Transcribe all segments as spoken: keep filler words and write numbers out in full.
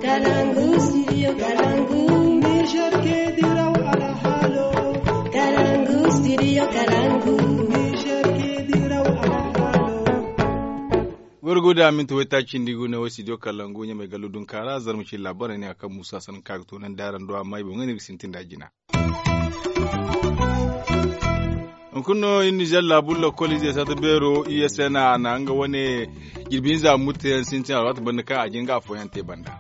Kalangu, studio Kalangu. Niger ke diraw alhalo. Kalangu, studio Kalangu. Niger ke diraw alhalo. Gurguda minti wayta cindi gu ne wo studio Kalangu ɲamay gallu dunkaara zarma ci labarai ne a kan musa san kaga to nan daran do amma i boŋ ne ga sintin da jina. Hunkuna no iri nizer laabu lokol ize sata beero i s n a na nga wane jirbi hinza mutteyaŋ sintin alwaati banda kaŋ a jin ga afooyaŋ te banda.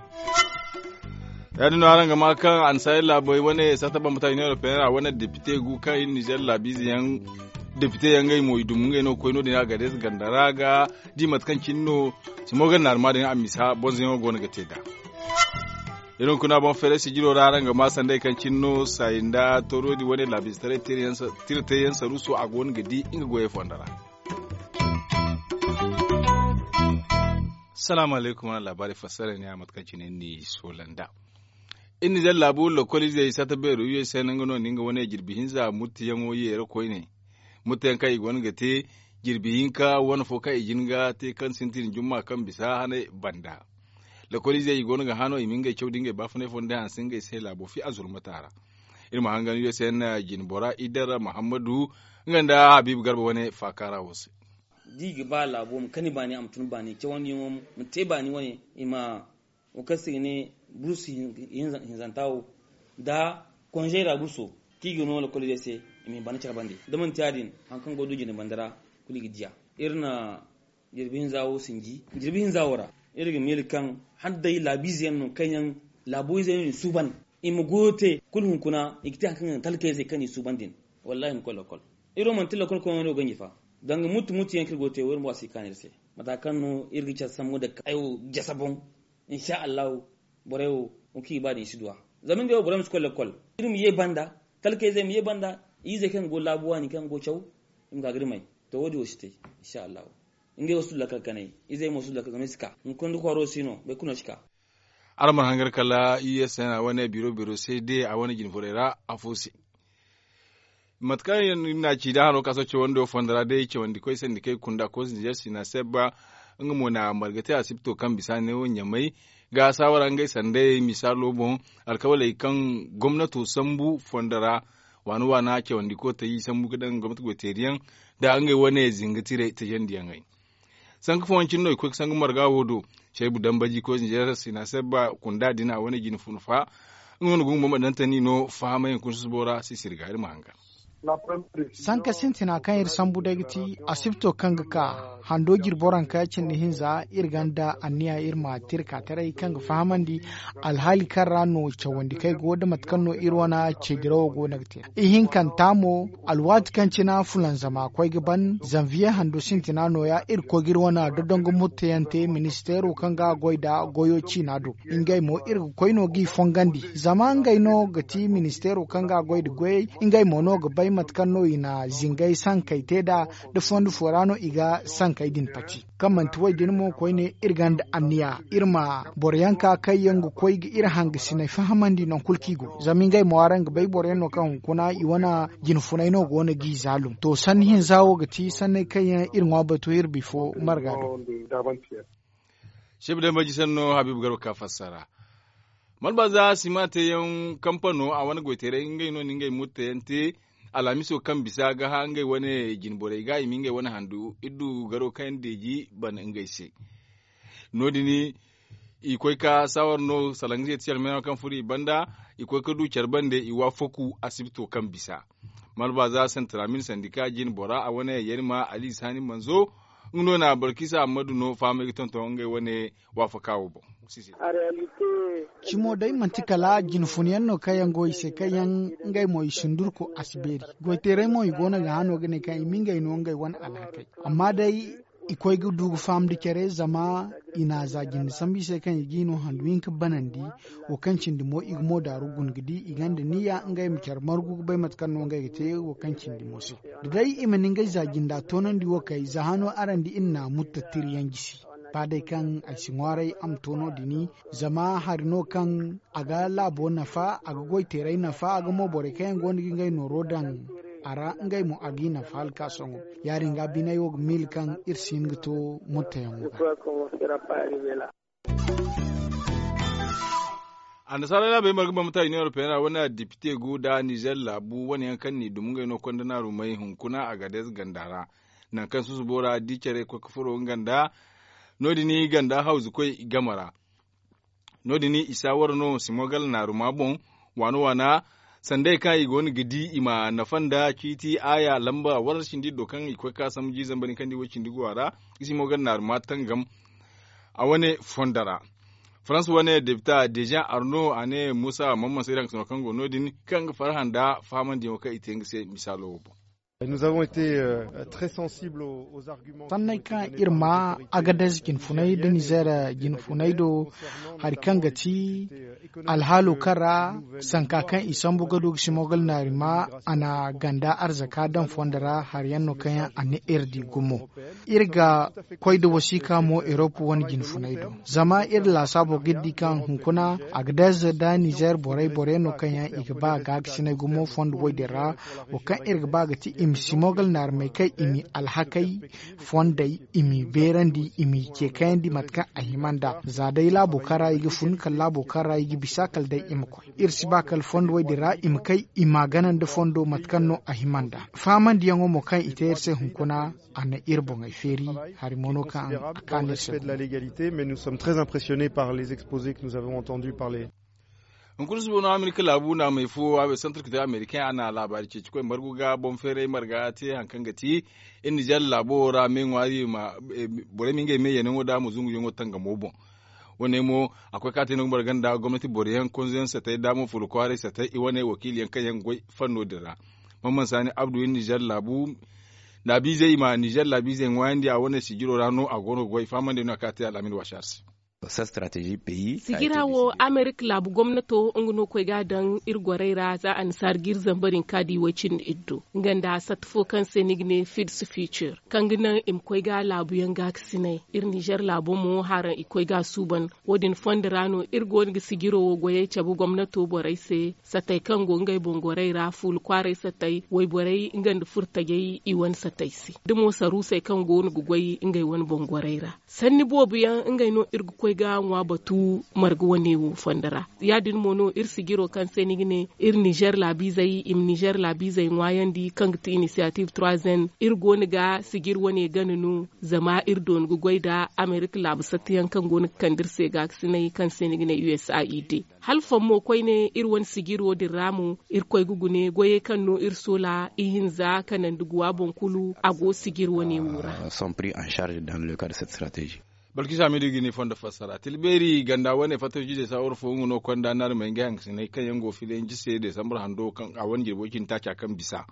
Ya- din no araŋ ga ma kaŋ annasaari laabey wane sata bambata union européenne ra wane depite gu kaŋ iri nizer laabu ize yaŋ depite yaŋ ngey mo i dum ngey no ga koy no- din agadez ganda ra ga di mate kaŋ cine no simo ga naarma din a misa bonzoyaŋo go no ga te nd'a. Iri hunkuna boŋ feere sijiro ra araŋ ga ma sanday kaŋ cine no sayi nda tooro din wane laabize taray tira te yaŋ saruuso a go no ga di nga goyey fondo ra. Salaamu alaykum wane laabaari fassara ne a mate kaŋ cine ni soola nd'a. Iri nizer laabu lokol izey sata beero u s n nga no na nga wane jirbi hinza muttiyaŋo yeera koyne. Muttiyaŋ kaŋ i go no ga te jirbi hinka wane fo kaŋ i jin ga te kaŋ sintin jumma kaŋ bisa hanay banda. Lokol izey i go no ga hã no i ma ngey caw da ngey baafunay fo nda hanse ngey se laabo fi a zurmata ra. Iri ma hangan u s n jine bora idar muhammadu nga nda habiibu garba wane faakaara wo se. Da i ga ba laabo ma kani baani a ma tun baani cawandiyaŋo ma te baani wane i ma wo kaŋ se i ga ne bursu hinzanta wo nda konzey ra burso kaŋ i ga no lakkol izey se i ma i bana care bande da manti ya- din hari kaŋ go du jine banda ra kulu i ga diya. Iri na jirbi hinza wo sinji jirbi hinza wo ra iri ga miila kaŋ hala day laabiize yaŋ no kaŋ yaŋ laabo izey no i suuban i ma goyo te kulu hunkuna i ga te hari kaŋ ga naŋ talkayzey kaŋ i suuban din. Wallaahi i ma koy lakkol. Iri wo manti lakkol koyyaŋo no ganji fa. Danga mutu mutu yaŋ kaŋ iri go ga te wo iri ma waasi ga kaanu iri se. Mata kaŋ no iri ga care sambu nda kaayo jasa boŋ. Insa allahu borey wo hunkuna i ba din i si duw'a. Zama ngey wo borey ma si koy lakkol iri ma ye banda talkayzey ma ye banda. Izey kaŋ ga go laabu waani kaŋ ga go caw i ma ka ga iri may. To wo- din wo si te. Insa allahu ngey wo si du lakkal kanay. Izey mo si du lakkal zama i si ka hunkuna da kwaaro si no boro kulu no si ka. Araŋ mana hangar kala u s n a wane biro biro se de a wane jine furey ra afo se. Mate kaŋ iri na ci da hano ka sohõ cawandi wo fondo ra day cawandi koy sandi kay kunda koos nizer sina sebba. Nga mo na marga te asibto kaŋ bisa ne wo ɲamay ga saawara ngey sanday misaalo boŋ alkawaley kaŋ gomnato sambu fondo ra waana waana cawandi kootey sambu ga daŋ gomnati goyteeri yaŋ nda ngey wane zinga tirey tajandiyaŋey. Sanka fooyaŋ cine no i koy ga sangu marga wo do. Caybu dambaji koy zinjera sina sebba kunda din a wane jine funa fa. Nga no gungu bamba dantani no fahamay hunkuna susubo ra sisiri ga iri ma hanga. Sanka sintina kaŋ iri sambu day ga ti asibto kaŋ ga ka hando jiri boro hanka cindi hinza iri ganda anniya iri ma tirka taray kaŋ ga fahamandi alhaali kaŋ ra no cawandi kay go da mate kaŋ no iri wana ceedirawo go no ga te. Ihinkanta mo alwaati kaŋ cina fulanzama koy ga ban zanviye hando sintina nooya iri koy ga iri wana dodongo murtayante ministeero kaŋ ga goy nda goyo ciina do. Ngey mo iri ga koy no g'i fongandi zama ngey no ga ti ministeero kaŋ ga goy nda goyey. Ngey mo no ga bay mate kaŋ no i na zingay sankey te nd'a da fondo fo ra no i ga sankey din pati. Kaŋ manti wo- din mo koyne iri gonda anniya iri ma boro yaŋ ka kaŋ yaŋ ga koy ga iri hangasiney fahamandi nangu kulu kaŋ i go zama ngey mo araŋ ga bay boro yaŋ no kaŋ hunkuna i wane jine funay no go no g'i zaalum to sanni hinza wo ga ti sanney kaŋ yaŋ iri ŋwa batu iri bifo marga do. Shef day maji sanno habiibu garba ka fassara. Malbaza sima te yaŋ kampano a wane goyteeray ngey no na ngey murte yaŋ te. Alhamiso kaŋ bisa ga hã ngey wane jine borey ga i ma ngey wane handu iri du garo kaŋ yaŋ deeji bana ngey se. No- din i koy ka saawar no salaŋ ga zey ti care meeno kaŋ furo i banda. I koy ka du care bande i waafaku asibito kaŋ bisa malbaza santramin sandika jine bora a wane yarima ali saani manzo. Nga no na balkisa ammadu no fahamay ga tonton ngey wane waafaka wo boŋ. Cimo day manti kala jinfun yaŋ no kaŋ yaŋ go i se kaŋ yaŋ ngey mo i sundurko a si beeri. Goyteeray mo i go no ga hano ga ne kaŋ i ma ngey no ngey wane alhakey. Amma day i koy ga du ga faham da care zama i na za jinde sambu i se kaŋ i g'i no handu hinka banandi. Wo kaŋ cindi mo i ga mo daaru guna ga di i gonda niyya ngey ma care margu ga bay mate kaŋ no ngey ga te wo kaŋ cindi mo se. Da day i mana ngey za jinda toonandi wo kay za hano araŋ di iri na muttattiri yaŋ jisi. Ba day kaŋ ay si ŋwaaray a ma to no- din zama hari no kaŋ a ga laabo nafa a ga goyteeray nafa a ga mo borey kaŋ yaŋ go no ga ngey nooro daŋ a ra ngey mo a g'i nafa hala ka sohõ. Ya- din ga biney wo ga miila kaŋ iri si hin ga to murtayaŋo ga. Annasaara laabey marga bambata union européenne ra wane depite gu nda nizer laabu wane yaŋ kaŋ n'i dum ngey no konda naarumey hunkuna agadez ganda ra. Nangu kaŋ susubo ra di care koy ga furo nga nda no- din ganda hawzu koy game ra. No- din i saawara no simogal naaruma boŋ waana waana sandey kaŋ i go no ga di i ma nafa nda ciiti aaya lamba warra cindi do kaŋ i koy ga ka sambu jiizamba din kaŋ di way cindi go a ra. I simogal naaruma tangam a wane fondo ra. Farans wane depita dejan arno a ne musa mamman se daŋ ga sano kaŋ go no- din kaŋ ga farhã nda fahamandiyaŋo kaŋ i te nga se misaalo wo boŋ. Sanney kaŋ iri ma agadez jinfunay nda nizer jinfunay do hari kaŋ ga ti alhaalo kaŋ ra sanka kaŋ i sambu ga du ga simogal naarima a na ganda arzaka daŋ fondo ra hari yaŋ no kaŋ yaŋ a ne iri di gumo. Iri ga koy nda wasiika mo erop wane jinfunay do zama iri laasaabo ga iri di kaŋ hunkuna agadez nda nizer borey borey no kaŋ yaŋ i ga ba gaakasinay gumo fondo wo- din ra. Wo kaŋ iri ga ba ga ti i ma simogal naarmey kaŋ i m'i alhakey fondey i m'i beerandi i m'i ce kayandi mate kaŋ a hima nd'a za day laabo kaŋ ra i ga fun kala laabo kaŋ ra i ga bisa kala day i ma koy iri si ba kala fondo wo- din ra i ma kay i m'a gana nda fondo mate kaŋ no a hima nd'a. Faamandiyaŋo mo kaŋ i te iri se hunkuna a na iri boŋey feeri. Hari mo no kaŋ a kaanu iri se. Hunkuna suba no amerika laabu naamey fo a bay santar kite amerikaŋ a na laabaari ceeci koy margu ga boŋ feeray marga te hari kaŋ ga ti iri nizer laabo ra me ŋwaari ma borey ma ngey me yanaŋo da a ma zunguyaŋo tangamo boŋ. Wane mo a koy ka te no ga marga nda gomnati boro yaŋ konzo yaŋ satay da mo furo kwaaray satay i wane wakiili yaŋ kaŋ yaŋ ga goy fanno din ra. Mamman saani abdu iri nizer laabu laabiizey i ma nizer laabiizey ŋwaayandi a wane sijiro ra no a go no ga goy fahamandi no a ka te al'amin wasaar se. Sigira wo amerika laabu gomnato nga no koy ga a daŋ iri gorey ra za annasaara ga iri zamba din ka di way cindi iri do nga nda satta fo kaŋ se ni ga ne fids future kaŋ ga naŋ i ma koy ga laabuyaŋ gaakasinay. Iri nizer laabo mo haraŋ i koy ga a suuban. Wo- din fondo ra no iri go no ga sijiro wo goyey cabe gomnato borey se. Satey kaŋ go ngey boŋ gorey ra fuula kwaaray satey wayborey nga nda furtajey i wane satey se da mo saruusey kaŋ go no ga goy ngey wane boŋ gorey ra. Sanni boobo yaŋ ngey no iri ga koy ga ŋwa batu marga wane wo fondo ra. Ya- din mo no iri sijiro kaŋ se ni ga ne iri nizer laabiizey i ma nizer laabiizey ŋwaayandi kaŋ ga ti inisiyatif trois n iri go no ga sijir wane gana no. Zama iri doona ga goy nda amerika laabu satta yaŋ kaŋ go no ga kande iri se gaakasinay kaŋ se ni ga ne usaid. Hala fommo koyne iri wane sijiro din ra mo iri koy ga gune goyey kaŋ no iri soola ihinza kanandi guwa boŋ kulu a go sijir wane wo ra. Balkisa hamidu ga ni fondo fassara tilbeeri ganda wane fattawcizey saawar fo nga no konda naari ma ngey hangasinay kaŋ yaŋ go filayanci se desambar hando kaŋ a wane jirbo cindi taaca kaŋ bisa.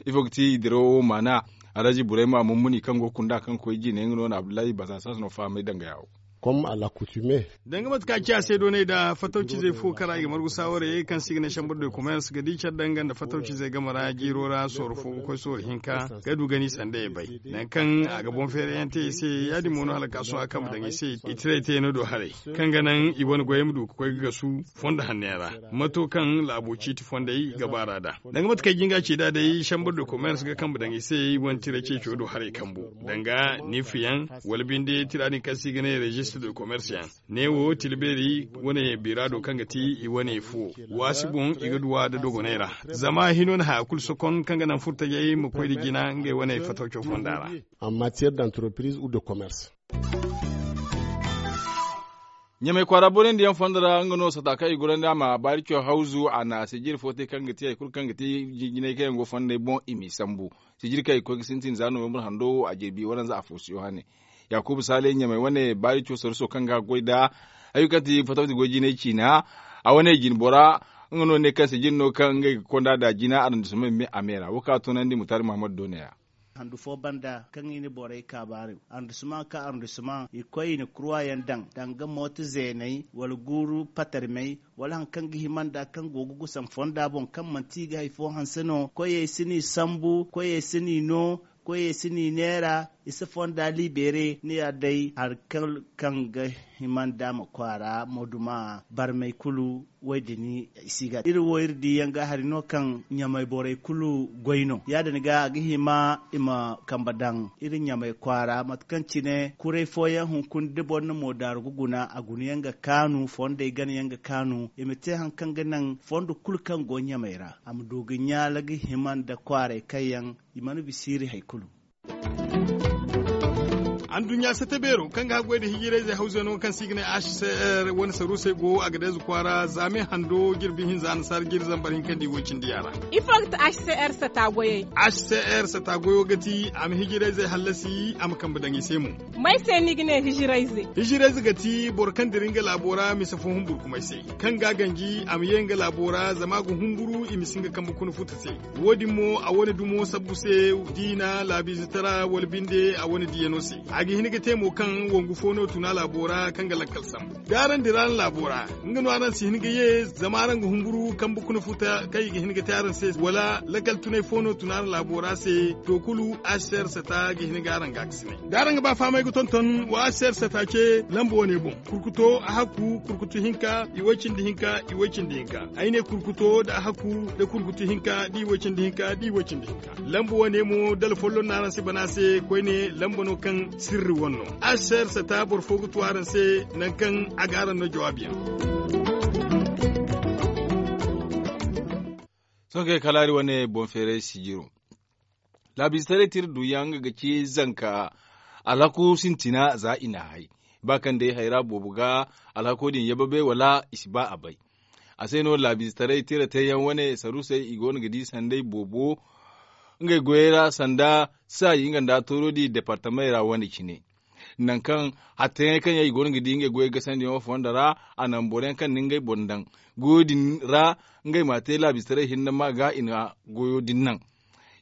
Ifo ga ti i dirawo maana? Alhaji burayma mummuni kaŋ go kunda kaŋ koy jine nga no na abdullahi basasas no fahamay danga yawo. Danga mate kaŋ a ci a se doonay da fatawcizey fo kara i ga margu saawarey kaŋ se i ga ne chambre de commerce ga di care danga nda fatawcizey game ra jiiro ra sooro fo ga koy sooro hinka ga du gani sanda i bay. Nangu kaŋ a ga boŋ feerayaŋ te i se ya- din mo no hala ga ka sohõ a kambe daŋ i se i tiray te no do haray kaŋ ga naŋ i wane goyey ma du ga koy ga gasu fondo hanno yaŋ ra. Mato kaŋ laabo ciiti fondey ga baara nd'a danga mate kaŋ ay jinga ci nd'a day chambre de commerce ga kambe daŋ i se i wane tira ceeco do haray kambo danga niifiyaŋ wala binde tira din kaŋ se i ga ne registre de commerce yaŋ. Neewo tila beeri wane bira do kaŋ ga ti i wane fo waasi boŋ i ga duw'a nda dogonay ra. Zama hino na haya kulu sokon kaŋ ga naŋ furtajey ma koy nda jina ngey wane fatawco fonda ra. Ɲamay kwaara boonandiyaŋ fondo ra nga no sata kaŋ i gorandi a ma baari caw hawzu a na sijiri fo te kaŋ ga ti hari kulu kaŋ ga ti jinjinay kaŋ yaŋ go fondey boŋ i m'i sambu. Sijiri kaŋ i ga koy ga sintin za novembre hando wo a jirbi waranza afo si yohane. Yakubu sale ɲamay wane baari caw saruso kaŋ ga goy nda hari kulu kaŋ ti fatawti goy jinay ciina a wane jine bora. Nga no ne kaŋ sijiri no kaŋ ngey ga konda nda jina arrondissement me a me ra wo kaŋ a toonandi mutari muhammadu doone ya. Handu fo banda kaŋ i na borey kaabaari arrondissement ka arrondissement i koy i na kurwa yaŋ daŋ danga mooto zeeney wala guuru patarmey wala hari kaŋ ga hima nd'a kaŋ go ga gusam fonda boŋ kaŋ manti i ga hari fo hanse no koyey si n'i sambu koyey si n'i no koyey si n'i neera. I si fonda libere ni ya day hari kulu kaŋ ga hima nd'a ma kwaara ma duma barmey kulu. Wo- din i si ga iri wo iri di yaŋ ga hari no kaŋ ɲamay borey kulu goy no ya- din ga a ga hima i ma kambe daŋ iri ɲamay kwaara mate kaŋ cine kuray fooyaŋ hunkuna da boro na moodaaru ga guna a guna yaŋ ga kaanu fondey gana yaŋ ga kaanu i ma te hari kaŋ ga naŋ fondo kulu kaŋ go ɲamay ra a ma du ga ɲaala ga hima nda kwaaray kaŋ yaŋ i mana bisa iri hari kulu. Anduɲɲa sata beero kaŋ ga haggoy nda hijirayzey hawzey no kaŋ se i ga ne h c r wane saruusey go a ga dayze kwaara zaame hando jirbi hinza annasaara jiri zambar hinka nda i woy cindi yaŋ ra. Ifo ga ti h c r sata goyey? H c r sata goyo ga ti a ma hijirayzey hallasi a ma kambe daŋ i se mo. May se no i ga ne hijirayze? Hijirayze ga ti boro kaŋ dira nga laabo ra mise fo humburkumay se, kaŋ ga a ganji a ma ye nga laabo ra zama a ga humburu i ma si nga kambe kuna futa se. Wo- din mo a wane dumo sabbu se diina laabiizitara wala binde a wane diyano se. A ga hin ga te mo kaŋ wangu fo no tuna laabo ra kaŋ ga lakkal sambu da araŋ dira araŋ laabo ra, nga no araŋ si hin ga ye zama araŋ ga humburu kambe kuna futa kaŋ i ga hin ga te araŋ se wala lakkal tunay fo no tuna araŋ laabo ra se. To kulu asser sata ga hin ga araŋ ga a ga si ne da araŋ ga ba fahamay ga tonton wa asser sata ce lamba wane boŋ. Kurkuto a hakku kurkutu hinka i way cindi hinka i way cindi hinka. Ay ne kurkuto nda a hakku nda kurkutu hinka da i way cindi hinka da i way cindi hinka. Lamba wane mo dala folloŋ no araŋ si bana se koyne lamba no kaŋ sirri wane no. Asser sata boro fo ga tu araŋ se nangu kaŋ a ga araŋ no jawaabiyaŋ. Sohõ kay kala hari wane boŋ feeray sijiro. Laabiizetaray tira duyaŋ nga ga ci zanka alhaku sintina za i n'a hay. Ba kaŋ day hayra boobo ga alhako din yababe wala i si ba a bay. A se no laabiizetaray tira teeyaŋ wane saruusey i go no ga di sanday boobo. Ngey goyey ra sanda saayi nga nda tooro di departamey ra wane cine. Nangu kaŋ hattayaŋey kaŋ yaŋ i go no ga di ngey goyey gasandiyaŋo fondo ra a naŋ boro yaŋ kaŋ na ngey boŋ daŋ goyo din ra. Ngey m'a te laabiizetaray hinne ma ga i na goyo din naŋ.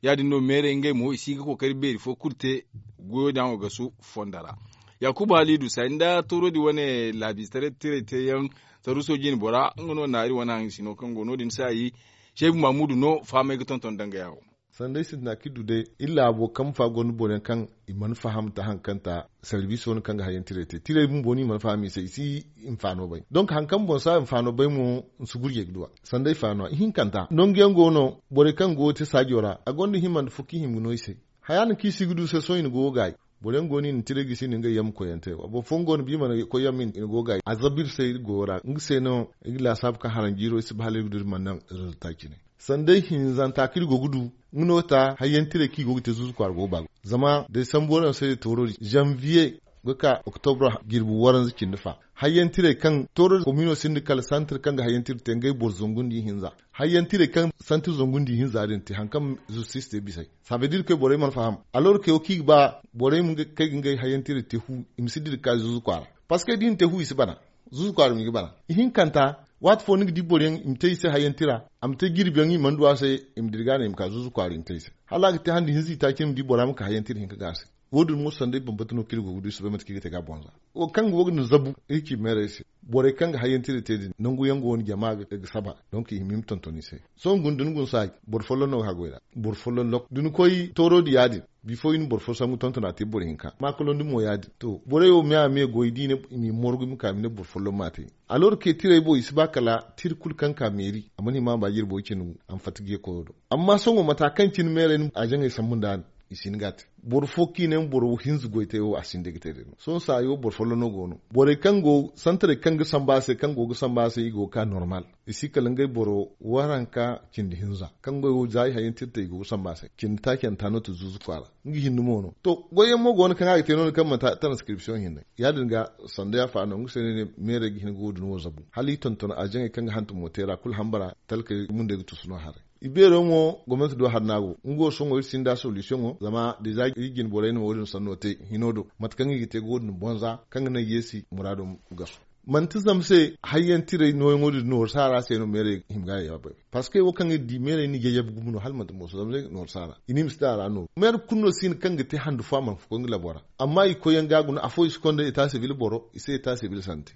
Ya- din no meerey ngey mo i si ga kookari beeri fo kulu te goyo din a ma gasu fondo ra. Yaakuba haliidu saari nda tooro din wane laabiizetaray tirey teeyaŋ saruuso jine bora nga no naari wane haŋ sino kaŋ go no- din saayi. Seebu maamudu no fahamay ga tonton danga yawo. Sanday sintina kaŋ i du day iri laabo kambe fa gonda boro yaŋ kaŋ i mana faham ta hari kaŋ ta sarbiiso no kaŋ ga hayyaŋ tirey te tirey bumbo no i mana faham i se i si hinfaano bay. Donk hari kaŋ boŋ si a hinfaano bay mo ni si gurjey ga du a sanday faano a ihinkanta nangu yaŋ go no. Borey kaŋ go ga te saajo ra a gonda hima nda fo kaŋ i hima ga no i se. Haya din kaŋ i si ga du se sohõ i na go ga gaayi. Boro yaŋ go no i na tirey gisi i na ngey yaŋ ma koy yaŋ te boro fooyaŋ go no ba i mana koy yaŋ ma i na go ga gaayi a zabu iri se iri goyo ra nga se no iri ga laasaabu kaŋ haranjiiro iri si ba hala iri ga du iri mana naŋ rezilta cine. Sanday hinzanta kaŋ iri go ga du nga no ta hayyaŋ tirey kaŋ i go ga te zuuzu kwaara go ga ba ga zama day sambu waraŋ se day tooro din zanviye ga ka oktobro jirbi waranza cindi fa. Hayyaŋ tirey kaŋ tooro din komino sinda kala santir kaŋ ga hayyaŋ tira te ngey boro zangu nda ihinza. Hayyaŋ tirey kaŋ santir zangu nda ihinza din te hari kaŋ zistis te bisey. Sabedir kay borey mana faham alor kay wo kaŋ i ga ba borey ma kay ga ngey hayyaŋ tirey te fu i ma si dira ga ka zuuzu kwaara. Parceque da i na te fu i si bana zuuzu kwaara ma i ga bana. Ihinkanta waati fo ni ga di boro yaŋ i ma te i se hayyaŋ tira a ma te jirbi yaŋ i mana du a se. I ma dira ga no i ma ka zuuzu kwaara i ma te i se hala a ga te handi hinza i taaci ni ma di bora ma ka hayyaŋ tira hinka ga a se. Wo- din mo sanday bambata no kaŋ iri go ga du i si bay mate kaŋ i ga te ga a boŋ za wo kaŋ go ga ni zabu iri ci meerey se. Borey kaŋ ga hayyaŋ tira te din nangu yaŋ go no jama ga saba donk i hima i ma tonton i se. Sohõ guna da ni guna saaji boro folloŋ no ga haggoy ra. Boro folloŋ lok da ni koy tooro din ya- din bifo i na boro fo sambu tonton a te boro hinka maakalondi mo ya- din to borey wo me a me goy da i ne i m'i morgu i ma ka i ma ne boro folloŋ m'a te. Alor ke tirey boŋ i si ba kala tira kulu kaŋ ka meeri a mana hima a ma ba jirbo cine a ma fatta geekoyo do. Amma sohõ mata kaŋ cine meerey no a jaŋey sambu nd'a no i si hin ga a te. Boro fo kaŋ i ne ma boro hinza goy te wo a sinda ga te day no sohõ saayo boro folloŋ no go no borey kaŋ go santarey kaŋ ga sambu a se kaŋ go ga sambu a se i go ga ka normal. I si kala ngey boro waranka cindi hinza kaŋ goy wo za i hayyaŋ tira te i go ga sambu a se cindi taaci yaŋ ta no te zuuzu kwaara. Nga hinne mo no to goy yaŋ mo go no kaŋ a ga te no- din kaŋ manti transcription hinne ya- din ga sanda yaafa no nga se no ay ne meerey ga hin ga wo- din wo zabu hala i tonton a jaŋey kaŋ ga hantumo te ra kulu hambara talkey mundey ga tusu no haray. I beero mo gomnanti do hari no a go nga wo sohõ iri sinda solusiyoŋo zama da i za iri jine borey na wo- din sanno te hino do mate kaŋ i ga te ga wo- din bonza kaŋ ga naŋ yeesi muraado ma gasu. Manti zama se hayyaŋ tirey nooyaŋo din nooru saara se no meerey hima ga yaabay. Parceque wo kaŋ iri di meerey na yayyabu gumo no hala manti mooso zama se nooru saara i ne i ma si daŋ a ra nooru meere kulu no si hin kaŋ ga te handu fo a mana koy nga labo ra. Amma i koy yaŋ ga guna afo i si konda eta sibil boro i se eta sibil sante.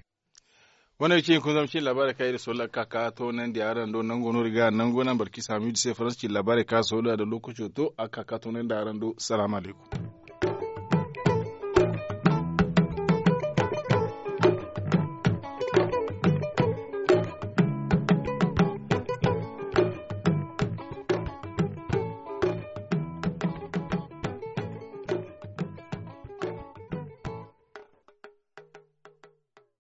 Wane ga ci hunkuna zama cin laabaarey kaŋ iri soola ga ka ka toonandi araŋ do nango no iri ga nango naŋ barki saamidu se faransa cin laabaarey kaŋ a soola da lookaco to a ga ka ka toonandi araŋ do. Salaamu alaykum.